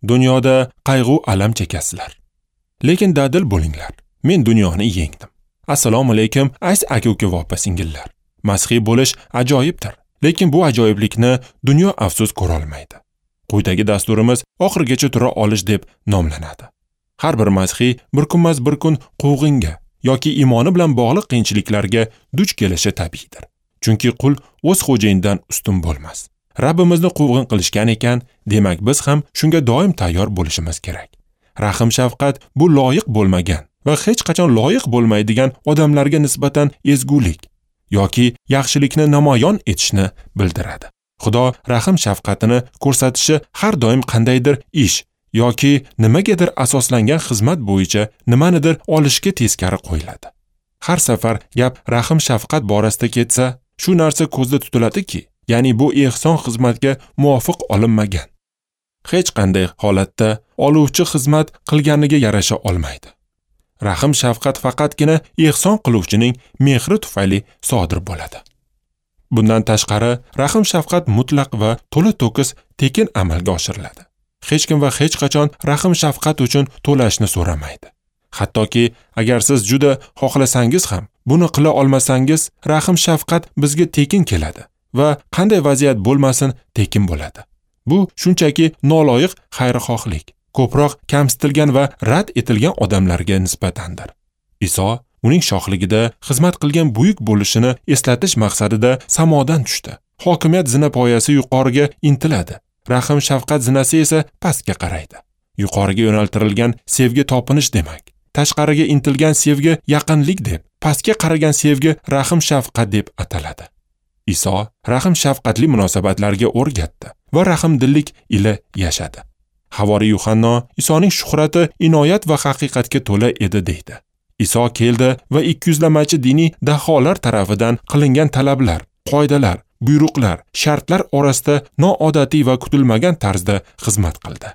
Dunyoda qayg'u alam chekasizlar. Lekin dadil bo'linglar. Men dunyoni yengdim. Assalomu alaykum, aziz aka-uka va opa-singillar. Masihiy bo'lish ajoyibdir, lekin bu ajoyiblikni dunyo afsus ko'ra olmaydi. Quyidagi dasturimiz oxirigacha tura olish deb nomlanadi. Har bir masihiy bir kunmas bir kun quvg'inga yoki iymoni bilan bog'liq qiyinchiliklarga duch kelishi tabiiydir. Chunki qul o'z xo'jayinidan ustun bo'lmas. Rabbimizni quvg'in qilishgan ekan, demak biz ham shunga doim tayyor bo'lishimiz kerak. Rahim shafqat bu loyiq bo'lmagan va hech qachon loyiq bo'lmaydigan odamlarga nisbatan ezgulik yoki yaxshilikni namoyon etishni bildiradi. Xudo rahim shafqatini ko'rsatishi har doim qandaydir ish yoki nimagadir asoslangan xizmat bo'yicha nimanidir olishga teskari qo'yiladi. Har safar gap rahim shafqat borasida ketsa, shu narsa ko'zda tutiladiki, ya'ni bu ehson xizmatga muvofiq olinmagan. Hech qanday holatda oluvchi xizmat qilganiga yarasha olmaydi. Rahim shafqat faqatgina ehson qiluvchining mehri tufayli sodir bo'ladi. Bundan tashqari, rahim shafqat mutlaq va to'la-to'kis tekin amalga oshiriladi. Hech kim va hech qachon rahim shafqat uchun to'lashni so'ramaydi. Hattoki agar siz juda xohlasangiz ham, buni qila olmasangiz, rahim shafqat bizga tekin keladi va qanday vaziyat bo'lmasin tekin bo'ladi. Bu shunchaki noloyiq xayrixohlik, ko'proq kamsitilgan va rad etilgan odamlarga nisbatandir. Iso uning shohligida xizmat qilgan buyuk bo'lishini eslatish maqsadida samodan tushdi. Hokimiyat zinapoyasi yuqoriga intiladi. Rahim shafqat zinasi esa pastga qaraydi. Yuqoriga yo'naltirilgan sevgi topinish demak, tashqariga intilgan sevgi yaqinlik deb, pastga qaragan sevgi rahim shafqat deb ataladi. Iso rahim shafqatli munosabatlarga o'rgatdi va rahimdillik ila yashadi. Havoriy Yuhanno Isoning shuhrati inoyat va haqiqatga to'la edi deydi. Iso keldi va ikkiyuzlamachi diniy daholar tarafidan qilingan talablar, qoidalar, buyruqlar, shartlar orasida noodatiy va kutilmagan tarzda xizmat qildi.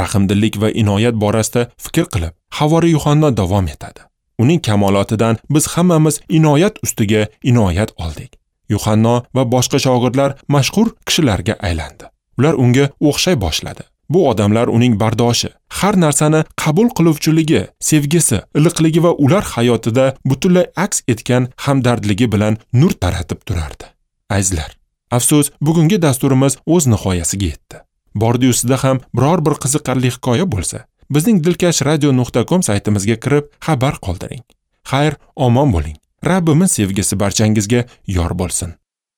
Rahimdillik va inoyat borasida fikr qilib, Havoriy Yuhanno davom etadi. Uning kamolotidan biz hammamiz inoyat ustiga inoyat oldik. Yuhanno va boshqa shogirdlar mashhur kishilarga aylandi. Ular unga o'xshay boshladi. Bu odamlar uning bardoshi, har narsani qabul qiluvchiligi, sevgisi, iliqligi va ular hayotida butunlay aks etgan hamdardligi bilan nur taratib turardi. Azizlar, afsus, bugungi dasturimiz o'z nihoyasiga yetdi. Bordi ustida ham biror bir qiziqarli hikoya bo'lsa, bizning dilkashradio.com saytimizga kirib xabar qoldiring. Xayr, omon bo'ling. Rabbimiz sevgisi barchangizga yor bo'lsin.